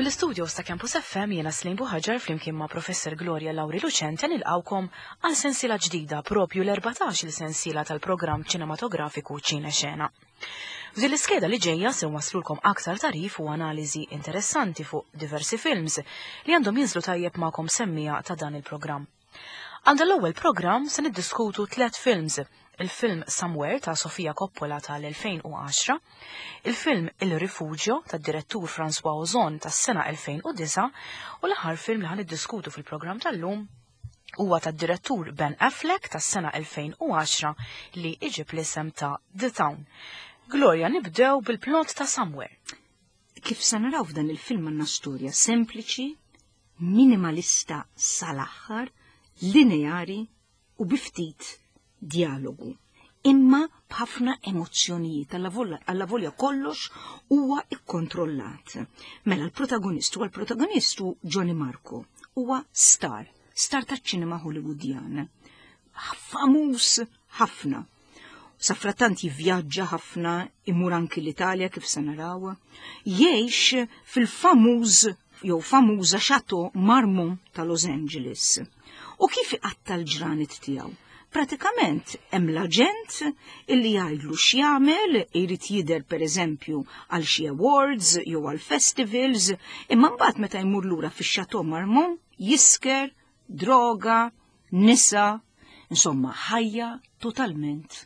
Mill-istudios ta' Campus FM jiena Slim Buħaġar flimkien ma' Professor Gloria Lauri Lucente nilqawkom għal sensiela ġdida propju l-14 il-sensiela tal-programm ċinematografiku Ċine Xena. F'din l-iskeda li ġejja se nwaslulkom aktar tarif u analiżi interessanti fuq diversi films li għandhom jinżlu tajjeb magħkom semmija ta' dan il-programm. Għal l-ewwel programm se niddiskutu tliet films, il-film Somewhere ta' Sofia Coppola tal-2010, il-film Il Rifugio tad-direttur François Ozon tas-sena 2009 u l-aħħar film li ħan niddiskutu fil-programm tal-lum huwa tad-direttur Ben Affleck tas-sena 2010 li iġib l-isem ta' The Town. Gloria, nibdew bil-plot ta' Somewhere. Kif se naraw f'dan il-film għandna storja sempliċi, minimalista sal-aħħar, lineari u bi ftit dialogu. Imma b'ħafna emozzjonijiet, alla volja kollox huwa ikkontrollat. Mela l-protagonist huwa l-protagonist hu Johnny Marco, huwa star, star taċ-ċinema Hollywoodjan. Famuż ħafna. Safrattant jivvjaġġa ħafna, imur anki l-Italja kif se naraw. Jgħix fil-famuż jew famuża Chateau Marmont ta' Los Angeles. U kif iqatta l-ġranet tiegħu? Pratikament hemm l-aġent illi jgħidlu x'jagħmel, irid jidher pereżempju għal xi awards jew għal festivals, imma mbagħad meta jmur lura fix-Chateau Marmont jisker, droga, nisa, insomma ħajja totalment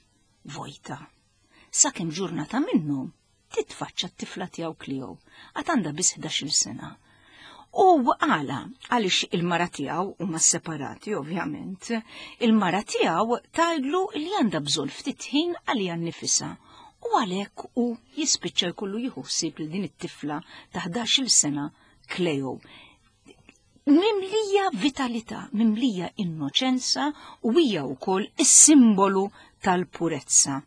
vojta. Sakemm ġurnata minnhom titfaċċa t-tifla tiegħu Cleo, għad għandha biss 11-il sena. U għala, għaliex il-mara tiegħu huma separati ovvjament, il-mara tiegħu tgħidlu li għandha bżonn ftit ħin għaliha nnifisha. U għalhekk hu jispiċċa jkollu jieħu ħsieb lil din it-tifla ta' 11-il sena Cleo. Mimlija vitalità, mimlija innoċenza u hija wkoll is-simbolu tal-purezza.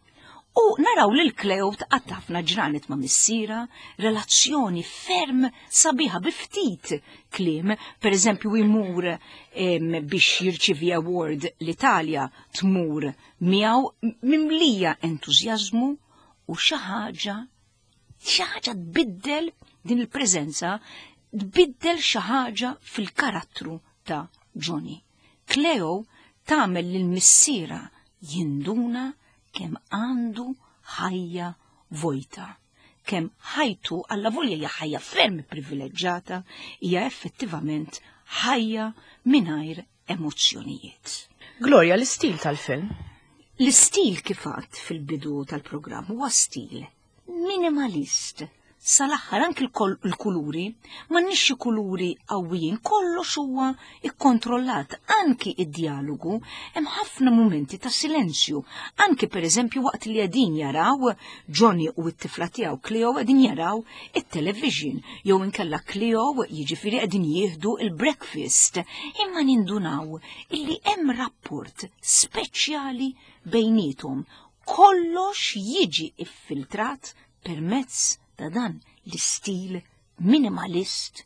U naraw lil Cleo tqatta' ħafna ġranet ma' missiera, relazzjoni ferm sabiħa bi ftit kliem, per eżempju jmur biex jirċivi award l-Italja tmur miegħu mimlija entużjażmu u xi ħaġa xi ħaġa tbiddel din il-preżenza tbiddel xi ħaġa fil-karattru ta' Johnny. Cleo tagħmel lil missiera jinduna kemm għandu ħajja vojta, kemm ħajtu alla volja hija ħajja ferm privileġġata, hija effettivament ħajja mingħajr emozzjonijiet. Gloria, l-istil tal-film? L-istil kif għadt fil-bidu tal-programm huwa stil minimalist. Sal-aħħar anki l-kuluri, m'għandniex xi kuluri qawwijin, kollox huwa ikkontrollat, anki id-dialogu, hemm ħafna mumenti ta' silenzju, anki pereżempju waqt li qegħdin jaraw Johnny u t-tifla tiegħu Cleo qegħdin jaraw it-television jew inkella Cleo jiġifieri qegħdin jieħdu il-breakfast, imma nindunaw illi hemm rapport speċjali bejniethom. Kollox jiġi iffiltrat permezz ta' dan l-istil minimalist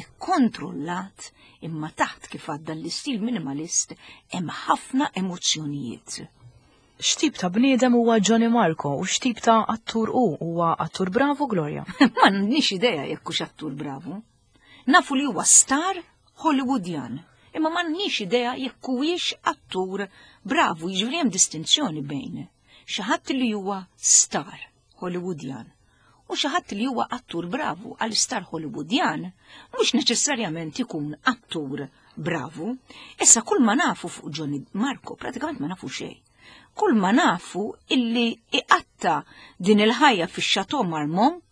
ikkontrollat imma taħt kif għadda l-istil minimalist hemm ħafna emozzjonijiet. X'tip ta' bniedem huwa Johnny Marco u x'tip ta' attur hu? Huwa attur bravu, Gloria? Ma nix idea jekk hux attur bravu. Nafu li huwa star Hollywoodjan, imma m'għandniex idea jekk huwiex attur bravu, jiġifieri hemm distinzjoni bejn xi ħadd li huwa star Hollywoodjan u xi ħadd li huwa attur bravu għal star Hollywoodjan mhux neċessarjament ikun attur bravu. Issa kull ma nafu fuq Johnny Marco pratikament ma nafu xejn. Kull ma nafu illi iqatta din il-ħajja fix-Chateau Marmont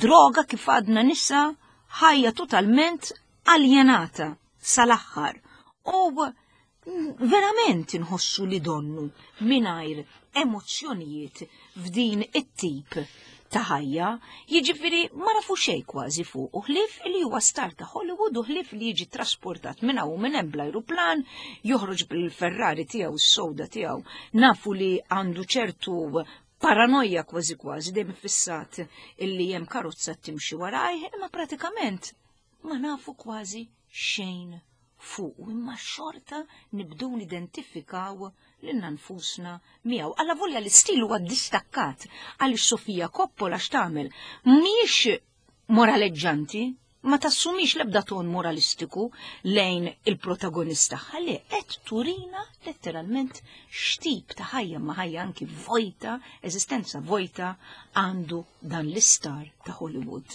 droga kif għadna nisa ħajja totalment aljenata sal-aħħar. U verament inħossu li donnu mingħajr emozzjonijiet f'din it-tip ta' ħajja, jiġifieri ma nafu xejn kważi fuq u ħlief li huwa star ta' Hollywood u ħlief li jiġi trasportat minn hawn minn hemm bl-ajruplan, joħroġ bil-Ferrari tiegħu s-sowda tiegħu. Nafu li għandu ċertu paranoja kważi kważi dejjem fissat illi hemm karozza timxi warajh, imma pratikament ma nafu kważi xejn fuq imma xorta nibdew nidentifikaw lilna nfusna miegħu. Alla volja l-istil huwa distakkat għaliex Sofia Coppola x'tagħmel? Mhijiex moraleġġanti, ma tassumix l-ebda ton moralistiku lejn il-protagonista ħalli qed turina letteralment x'tip ta' ħajja ma ħajja anki vojta, eżistenza vojta għandu dan l-istar ta' Hollywood.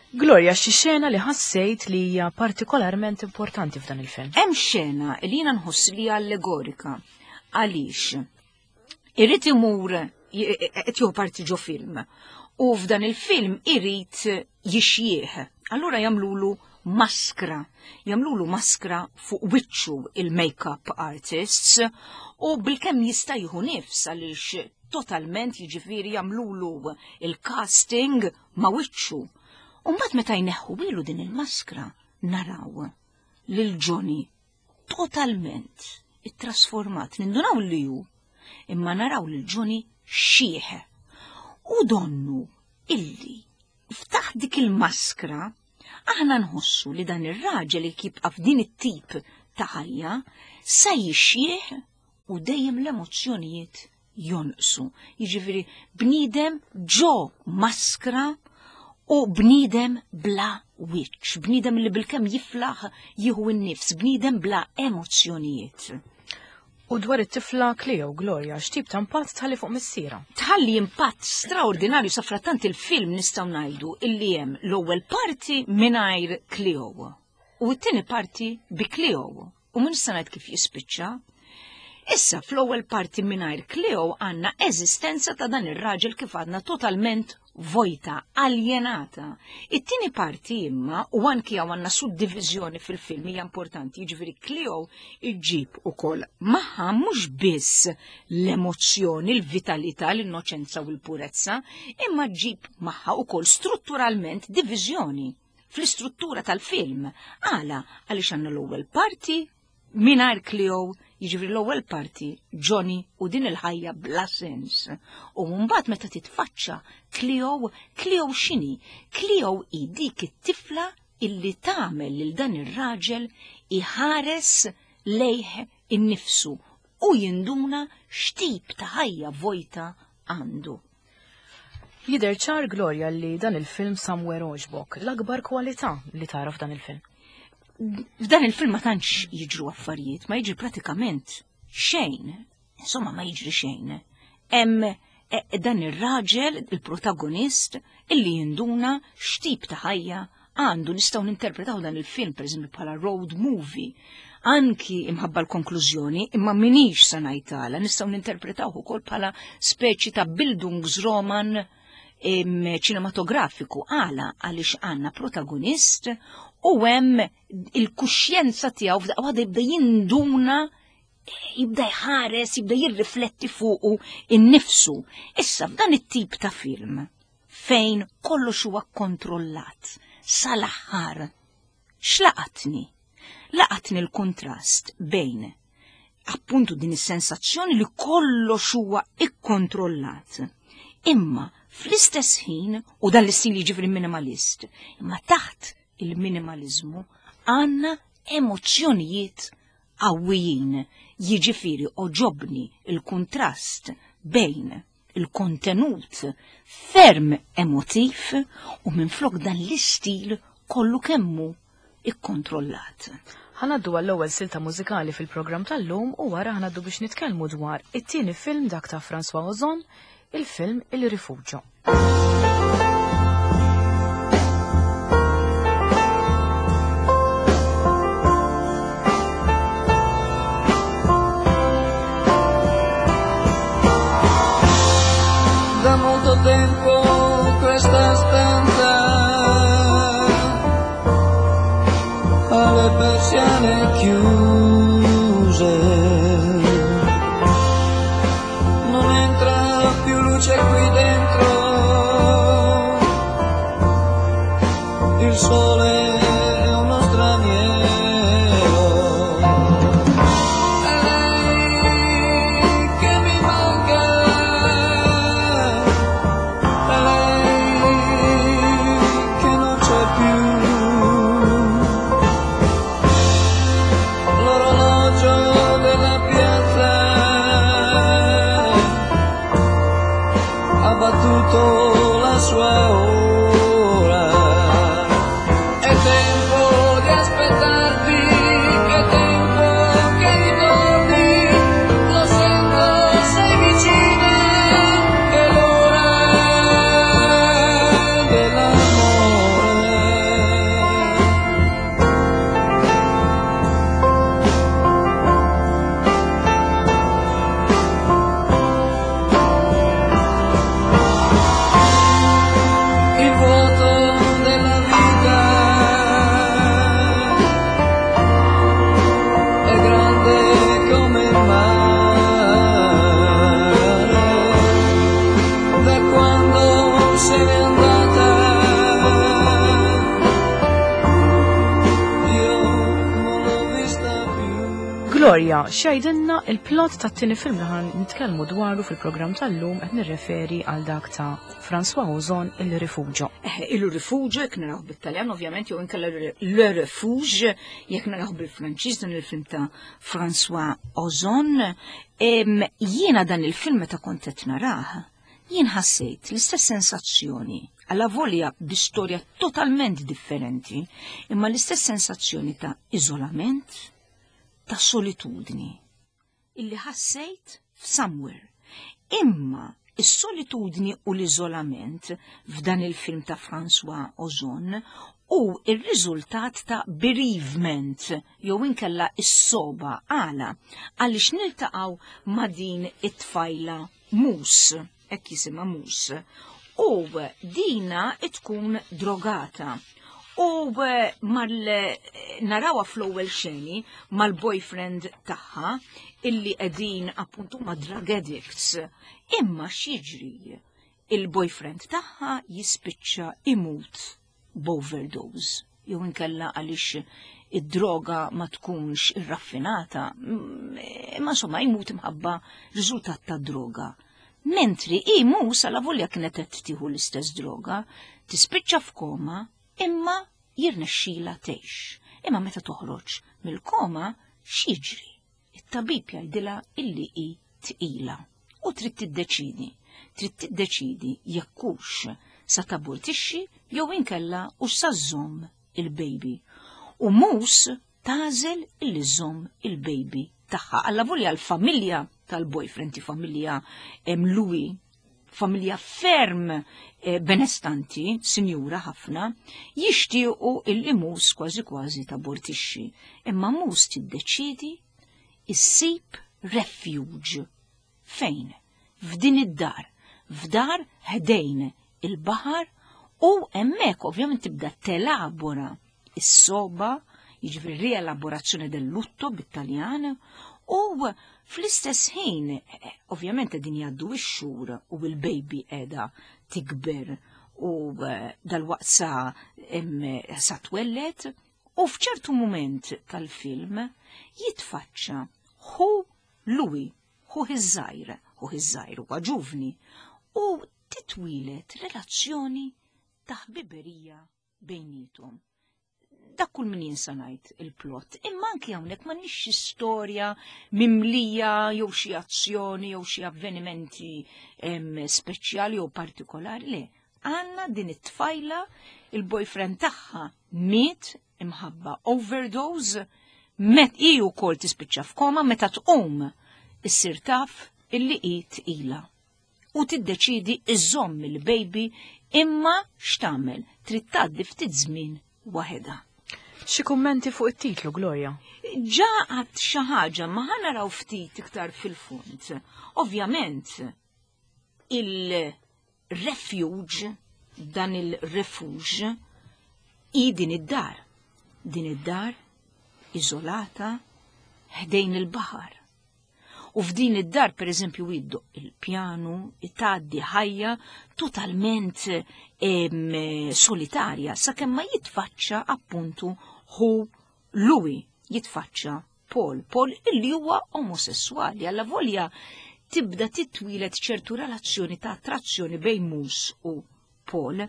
Gloria, xi xena li ħassejt li hija partikolarment importanti f'dan il-film? Hemm xena li jiena nħoss li allegorika. Għaliex? Irrid imur qed jieħu parti ġo film. U f'dan il-film irid jixjieħ. Allura jagħmlulu maskra. Jagħmlulu maskra fuq wiċċu il-makeup artists u bilkemm jista' jieħu nifs għaliex totalment jiġifieri jagħmlulu il-casting ma' wiċċu. U mbagħad meta jneħħu bilu din il-maskra naraw lil Johnny totalment ittrasformat, nindunaw li hu, imma naraw lil Johnny xieħ. U donnu illi ftaħ dik il-maskra aħna nħossu li dan ir-raġel li jibqa' f'din it-tip ta' ħajja se jixjieħ u dejjem l-emozzjonijiet jonqsu. Jiġifieri bniedem ġo maskra u bniedem bla wiċċ, bniedem li bilkemm jiflaħ jieħu n-nifs, bniedem bla emozzjonijiet. U dwar it-tifla Cleo Gloria, x'tip ta' impatt tħalli fuq missiera? Tħalli impatt straordinarju sa frattant il-film nistgħu ngħidu illi hemm l-ewwel parti mingħajr Cleo u t-tieni parti bi Cleo u minn nista' ngħid kif jispiċċa. Issa fl-ewwel parti mingħajr Cleo għandna eżistenza ta' dan ir-raġel kif għadna totalment vojta, aljenata. It-tieni parti imma u anki hawn għandna suddivizjoni fil-film hija importanti, jiġifieri Cleo iġġib ukoll magħha mhux biss l-emozzjoni, l-vitalità, l-innoċenza u l-purezza, imma ġġib magħha ukoll strutturalment diviżjoni fl-istruttura tal-film. Għala, għaliex għandna l-ewwel parti mingħajr Cleo, jiġifieri l-ewwel parti Johnny u din il-ħajja bla sens. U mbagħad meta titfaċċa Cleo, Cleo x'inhi? Cleo hi dik it-tifla illi tagħmel lil dan ir-raġel iħares lejh innifsu u jinduna x'tip ta' ħajja vojta għandu. Jidher ċar Gloria li dan il-film Somewhere għoġbok, l-akbar kwalità li tara f'dan il-film. F'dan il-film ma tantx jiġru affarijiet, ma jiġri pratikament xejn. Insomma, ma jiġri xejn. Hemm dan ir-raġel, il-protagonist, illi jinduna x'tip ta' ħajja għandu. Nistgħu ninterpretaw dan il-film pereżempju bħala road movie. Anki imħabba l-konklużjoni, imma minix sa ngħidhala, nistgħu ninterpretaw ukoll bħala speċi ta' Bildungsroman ċinematografiku. Għala, għaliex għandna protagonist u hemm il-kuxjenza tiegħu f'daqqa waħda jibda jinduna, jibda jħares, jibda jirrifletti fuqu innifsu. Issa f'dan it-tip ta' film fejn kollox huwa kontrollat sal-aħħar, x'laqatni? Laqatni l-kontrast bejn appuntu din is-sensazzjoni li kollox huwa ikkontrollat. Imma fl-istess ħin, u dan l-istil jiġifieri minimalist, imma taħt il-minimalizmu għandna emozzjonijiet qawwijin, jiġifieri oġobni il-kontrast bejn il-kontenut ferm emotiv u minflok dan l-istil kollu kemmu ikkontrollat. Ħanaddu għall-ewwel silta mużikali fil-programm tal-lum u wara ħanaddu biex nitkellmu dwar it-tieni film dak ta' François Ozon, il-film Il Rifugio. Da molto tempo questa stanza ha le persiane chiuse, non entra più luce qui dentro, il sole è uno straniero. È lei che mi manca, è lei che non c'è più. L'orologio della piazza ha battuto la sua ora. Gloria, x'jgħidilna il-plot tat-tieni film li ħan nitkellmu dwaru fil-programm tal-lum qed nirreferi għal dak ta' François Ozon Il-Rifugio. Eh, Il-Rifugio jekk naraw bit-Taljan ovvjament jew inkella Le Refuge jekk naraw bil-Franċiż dan il-film ta' François Ozon. Jiena dan il-film meta kont qed narah, jien ħassejt l-istess sensazzjoni għala volja bi storja totalment differenti, imma l-istess sensazzjoni ta' iżolament, ta' solitudni illi ħassejt f'Somewhere. Imma is-solitudni u l-iżolament f'dan il-film ta' François Ozon u ir-riżultat ta' bereavement jew inkella is-soba għala għaliex niltaqgħu ma' din it-tfajla Mus, hekk jisimha Mus, u dina tkun drogata. U eh, mal narawha fl-ewwel xeni mal-boyfriend tagħha illi qegħdin appuntu ma' drug addicts. Imma x'jiġri? Il-boyfriend tagħha jispiċċa imut b'overdose jew inkella għaliex id-droga ma tkunx irraffinata, mm, imma insomma jmut imħabba riżultat ta' droga. Mentri i mus għala volja kienet qed tieħu l-istess droga, tispiċċa f'koma imma jirnexxila tgħix. Imma meta toħroġ mill-koma x'jiġri? It-tabib jgħidilha illi hi tqila u trid tiddeċidi. Trid tiddeċidi jekk hux sa tabortixxi jew inkella hux sa żżomm il-baby. U mus tagħżel illi żżomm il-baby tagħha. Alla volja l-familja tal-boyfriend, familja Louis, familja ferm eh, benestanti, sinjura ħafna, jixtiequ illi mus kważi kważi tabortixxi. Imma mus tiddeċidi issib refuge. Fejn? F'din id-dar. F'dar ħdejn il-baħar u hemmhekk ovvjament tibda telabora is-soba, jiġifieri rielaborazzjoni del lutto bit-Taljan, u fl-istess ħin, ovvjament qegħdin jgħaddu x-xhur u l-baby qiegħda tikber u eh, dal-waqt sa, sa twellet, u f'ċertu mument tal-film jitfaċċa ħu Louis, ħu iż-żgħir, ħu iż-żgħir huwa ġuvni, u titwilet relazzjoni ta' ħbiberija bejniethom. Dak kull min jinsa ngħid il-plot. Imma anki hawnhekk m'għandniex xi storja mimlija jew xi azzjoni jew xi avvenimenti speċjali jew partikolari. Le, għandna din it-tfajla il-boyfriend tagħha miet imħabba overdose, met hi wkoll tispiċċa f'koma meta tqum issir taf illi hi tqila u tiddeċiedi iżżomm il-baby imma x'tagħmel trid tgħaddi ftit żmien waħedha. Xi kummenti fuq it-titlu, Gloria? Ġa għad xi ħaġa ma ħa naraw ftit iktar fil-fond. Ovvjament, il-refuge, dan il-refuge, i din id-dar. Din id-dar iżolata ħdejn il-baħar. U f'din id-dar pereżempju jiddoq il-pjanu, tgħaddi ħajja totalment solitarja sakemm ma jitfaċċa appuntu hu Louis jitfaċċa Paul, Paul illi huwa omosessuali, alla volja tibda titwilet ċertu relazzjoni ta' attrazzjoni bejn Mus u Paul.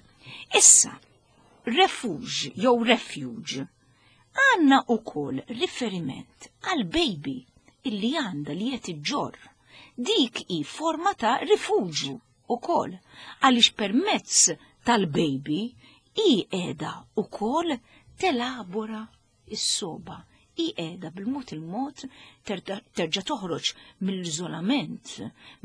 Issa, refuge jew refuge Għandna ukoll riferiment għal baby illi għandha li qed iġġorr. Dik hi forma ta' rifuġju ukoll għaliex permezz tal-baby hi qiegħda ukoll telabora s-sogħba. Hi qiegħda bil-mod il-mod terġa' toħroġ mill-iżolament,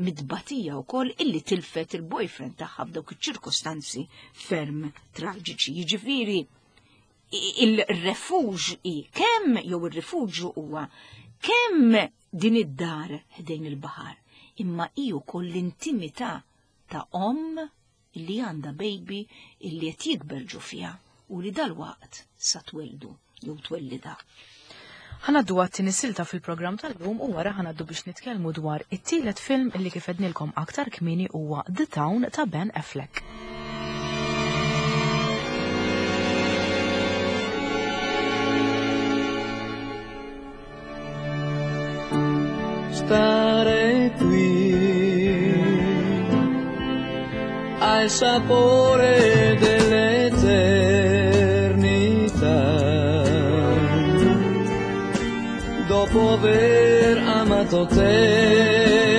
mit-tbatija wkoll illi tilfet il-boyfriend tagħha f'dawk iċ-ċirkostanzi ferm traġiċi. Jiġifieri il-refuġ i kemm jew ir-rifuġju huwa kemm din id-dar ħdejn il-baħar, imma hi wkoll l-intimità ta' omm li għandha baby illi qed jikber ġo fiha u li dalwaqt sa tweldu jew twellidha. Ħanaddu għat-tieni silta fil-programm tal-lum u wara ħanaddu biex nitkellmu dwar it-tielet film illi kif għednilkom aktar kmieni huwa The Town ta' Ben Affleck. ha il sapore dell'eternità. Dopo aver amato te,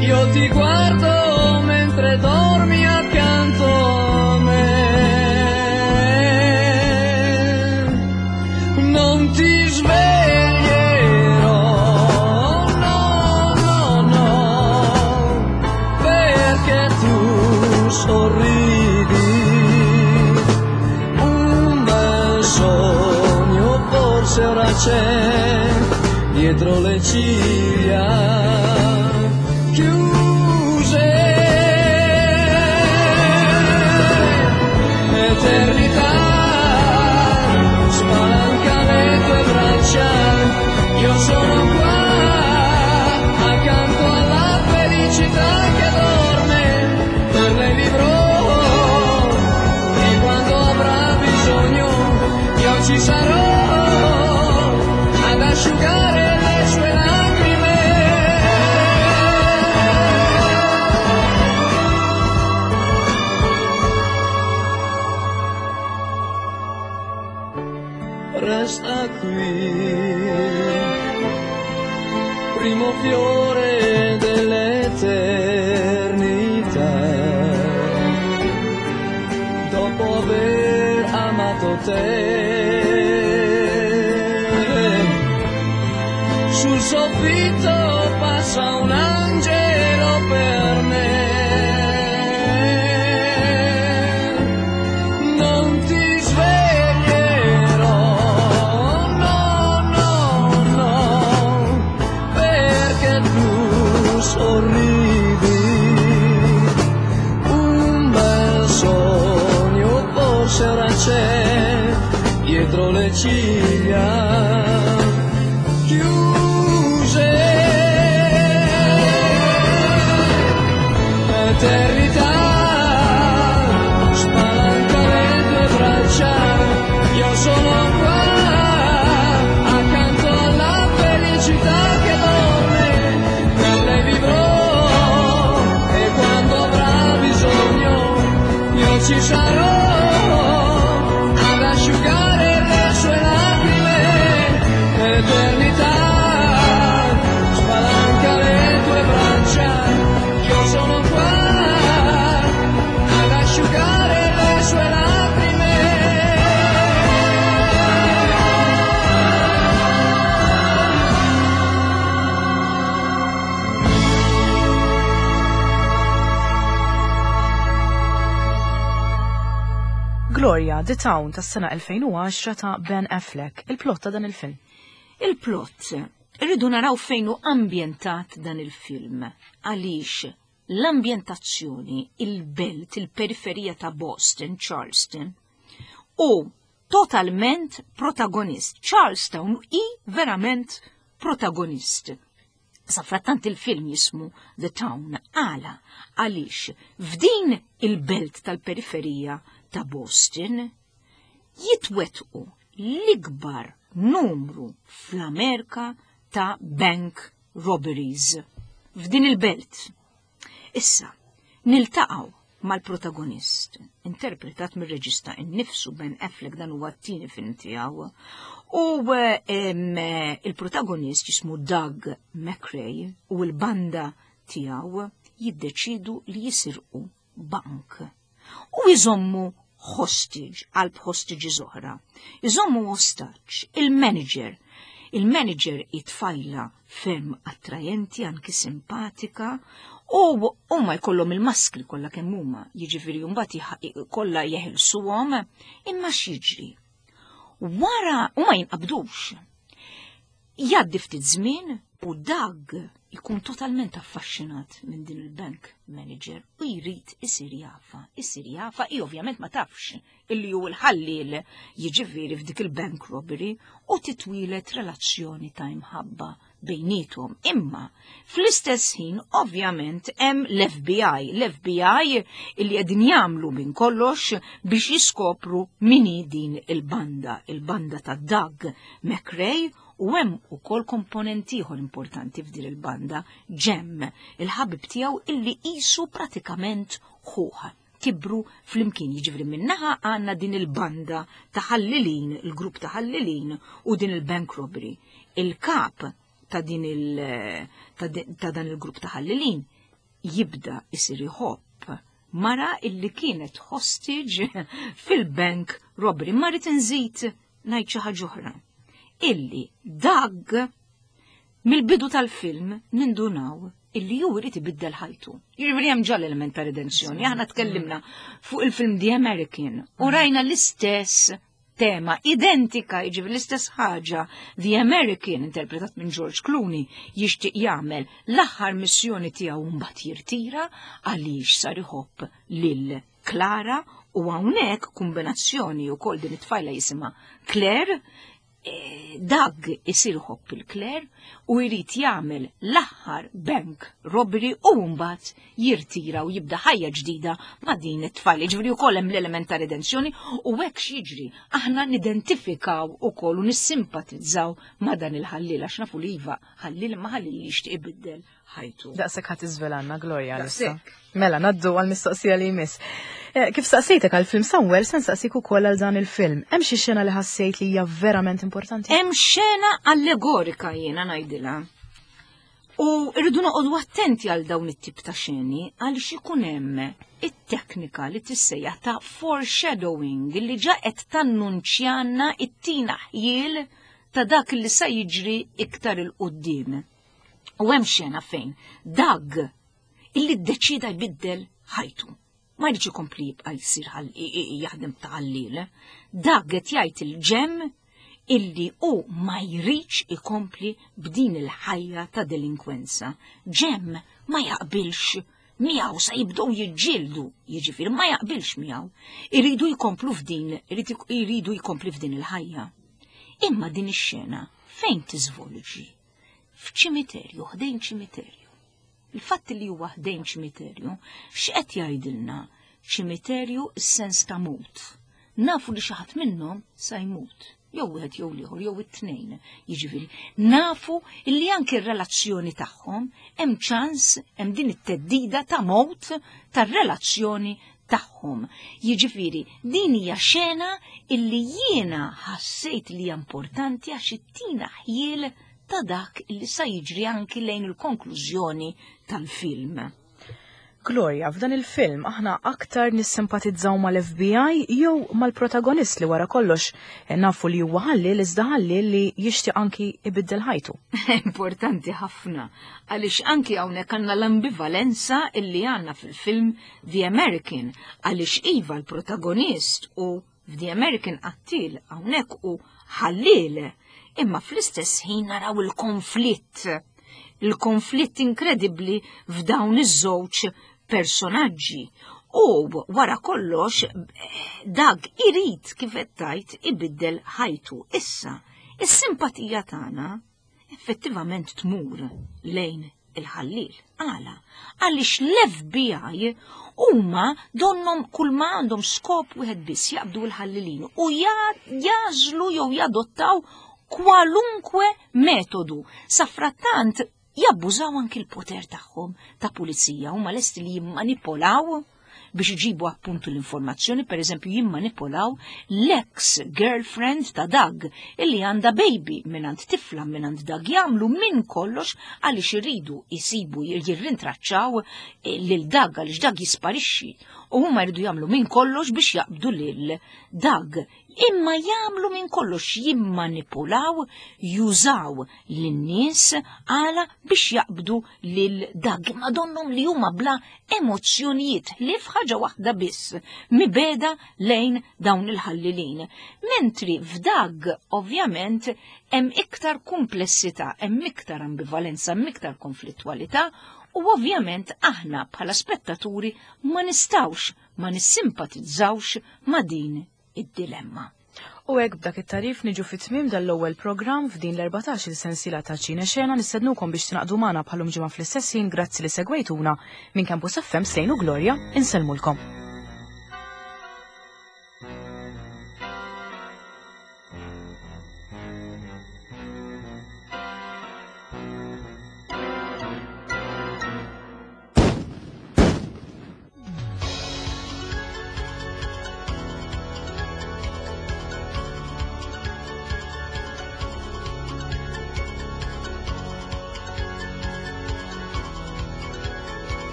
io ti guardo mentre dormi accanto a me. Non ti sveglierò, no, no, no, perché tu sorridi. Un bel sogno forse ora c'è dietro le ciglia chiuse. Eternità, spalanca le tue braccia, io sono qua, accanto alla felicità che dorme, per lei vivrò, e quando avrà bisogno io ci sarò, ad asciugare le sue lacrime. Resta qui, primo fiore dell'eternità, dopo aver amato te. Sul soffitto passa un angelo per me. Non ti sveglierò, no, no, no, perché tu sorridi. Un bel sogno forse ora c'è dietro le ciglia chiuse. Eternità, spalanca le tue braccia, io sono qua, accanto alla felicità che dorme, per lei vivrò, e quando avrà bisogno io ci sarò, ad asciugare le sue lacrime. Eternità, spalanca le tue braccia, io sono qua, ad asciugare le sue lacrime. Gloria, The Town tas-sena 2010 ta' Ben Affleck, il-plot ta' dan il-film. Il-plot, irridu naraw fejn hu ambjentat dan il-film. Għaliex l-ambjentazzjoni, il-belt, il-periferija ta' Boston, Charleston, u totalment protagonist. Charlestown hi verament protagonist. Safrattant il-film jismu The Town, għala, għaliex f'din il-belt tal-periferija ta' Boston jitwetqu l-ikbar numru fl-Amerika ta' bank robberies f'din il-belt. Issa, niltaqgħu mal-protagonist, interpretat mir-reġista innifsu Ben Affleck, dan huwa t-tieni film tiegħu, u il-protagonist jismu Doug McRae u l-banda tiegħu jiddeċidu li jisirqu bank u jżommu hostage, qalb hostages oħra. Iżommu hostage il-manager. Il-manager it-tfajla ferm attrajenti, anki simpatika, u huma jkollhom il-maskri kollha kemm huma, jiġifieri mbagħad kollha jeħilsuhom, imma x'jiġri? Wara huma jinqabdux. Jgħaddi ftit żmien u Doug ikun totalment affaxxinat minn din il-bank manager u jrid isir jafa, isir jafa, i ovvjament ma tafx illi hu l-ħalliel jiġifieri f'dik il-bank robbery u titwilet relazzjoni ta' imħabba bejniethom. Imma fl-istess ħin ovvjament hemm l-FBI, l-FBI illi qegħdin jagħmlu minn kollox biex jiskopru min hi din il-banda, il-banda ta' Doug McRae, U hemm ukoll komponent ieħor importanti f'din il-banda, Jem, il-ħabib tiegħu illi qisu pratikament ħuh. Kibru flimkien, jiġifieri minnaħa għandna din il-banda ta' ħallilin, il-grupp ta' ħallilin u din il-bank robbery. Il-kap ta' din il ta' dan il-grupp ta' ħallilin jibda isir iħobb mara illi kienet hostage fil-bank robbery. Ma rrid inżid ngħid xi ħaġa oħra. Illi Doug mill-bidu tal-film nindunaw illi ju jrid ibiddel ħajtu. Jiġifieri hemm ġa l-element ta' redenzjoni. Aħna tkellimna fuq il-film The American u rajna l-istess tema identika, jiġifieri l-istess ħaġa. The American, interpretat minn George Clooney, jixtieq jagħmel l-aħħar missjoni tiegħu mbagħad jirtira għaliex sar iħobb lil Clara u hawnhekk kombinazzjoni wkoll din it-tfajla jisimha Claire, Doug isir iħobb il-Claire u jrid jagħmel l-aħħar bank robbery u mbagħad jirtira u jibda ħajja ġdida ma' din it-tfajla. Jiġifieri wkoll hemm l-element ta' redenzjoni u hekk x'jiġri aħna nidentifikaw ukoll u nissimpatizzaw ma' dan il-ħalliel għax nafu li iva ħalliel imma ħalliel li jixtieq ibiddel ħajtu. Daqshekk ħadd iżvelanna Gloria għalissa. Mela, naddu għal-mistoqsija li jmiss. Eh, kif saqsejtek għal-film Somewhere, se nsaqsik ukoll għal dan il-film. Hemm xi xena li ħassejt li hija verament importanti? Hemm xena allegorika jiena ngħidilha. U rridu noqogħdu attenti għal dawn it-tip ta' xeni għaliex ikun hemm it-teknika li tissejjaħ ta' foreshadowing li ġa qed tannunċjana it-tina ħjiel ta' dak li sa jiġri iktar il-qudiem. U hemm xena fejn Doug illi ddeċida jbiddel ħajtu. Ma jridx ikompli jibqa' jsir jaħdem ta' ħalliel. Doug qed jgħid il-ġem illi hu ma jridx ikompli b'din il-ħajja ta' delinkwenza. Ġem ma jaqbilx miegħu sa jibdew jiġġieldu, jiġifieri ma jaqbilx miegħu. Iridu jkomplu f'din, iridu jkompli f'din il-ħajja. Imma din ix-xena fejn tiżvolġi? F'ċimiterju, ħdejn ċimiterju. Il-fatt li huwa ħdejn ċimiterju, x'qed jgħidilna? Ċimiterju s-sens ta' mut. Nafu li xi ħadd minnhom sa jmut, jew wieħed jew l-ieħor jew it-tnejn. Jiġifieri, nafu li anki r-relazzjoni tagħhom hemm ċans hemm din it-teddida ta' mowt tar-relazzjoni tagħhom. Jiġifieri, din hija xena illi jiena ħassejt li hija importanti għax ittina ħjiel ta' dak li sa jiġri anki lejn il-konklużjoni tal-film. Gloria, f'dan il-film aħna aktar nissimpatizzaw mal-FBI jew mal-protagonist li wara kollox nafu li huwa ħalliel iżda ħalliel li jixtieq anki ibiddel ħajtu. Importanti ħafna għaliex anki hawnhekk għandna l-ambivalenza illi għandna fil-film The American għaliex iva l-protagonist u f'The American qattiel hawnhekk u ħalliel imma fl-istess ħin naraw il-konflitt il-konflitt inkredibbli f'dawn iż-żewġ personaġġi. U wara kollox Doug irid kif qed tgħid ibiddel ħajtu. Issa, is-simpatija tagħna effettivament tmur lejn il-ħalliel. Għala? Għaliex l-FBI huma donnom kull ma għandhom skop wieħed biss jaqbdu l-ħallilin u jażlu jew jadottaw kwalunkwe metodu. Safrattant jabbużaw anki l-poter tagħhom ta' pulizija huma lesti li jimmanipolaw biex iġibu appuntu l-informazzjoni, per eżempju jimmanipolaw l-ex girlfriend ta' Doug illi għandha baby mingħand tifla mingħand Doug jagħmlu minn kollox għaliex iridu jisibu jirrintraċċaw eh, lil Doug għaliex Doug jisparixxi u huma jridu jagħmlu minn kollox biex jaqbdu lil Doug. Imma jagħmlu minn kollox jimmanipulaw, jużaw lin-nies għala biex jaqbdu lil Doug. Imma donnhom li huma bla emozzjonijiet li f'ħaġa waħda biss, mibeda lejn dawn il-ħallilin. Mentri f'Doug ovvjament hemm iktar kumplessità, hemm iktar ambivalenza, hemm iktar konflittwalità u ovvjament aħna bħala spettaturi ma nistgħux ma nissimpatizzawx ma' din id-dilemma. U hekk b'dak it-tagħrif niġu fi tmiem dan l-ewwel programm f'din l-14-il sensiela ta' Ċine Xena nistednukom biex tingħaqdu magħna bħalum ġimgħa fl-istess ħin grazzi li segwejtuna minn Campus FM Slejn u Gloria insellmulkom.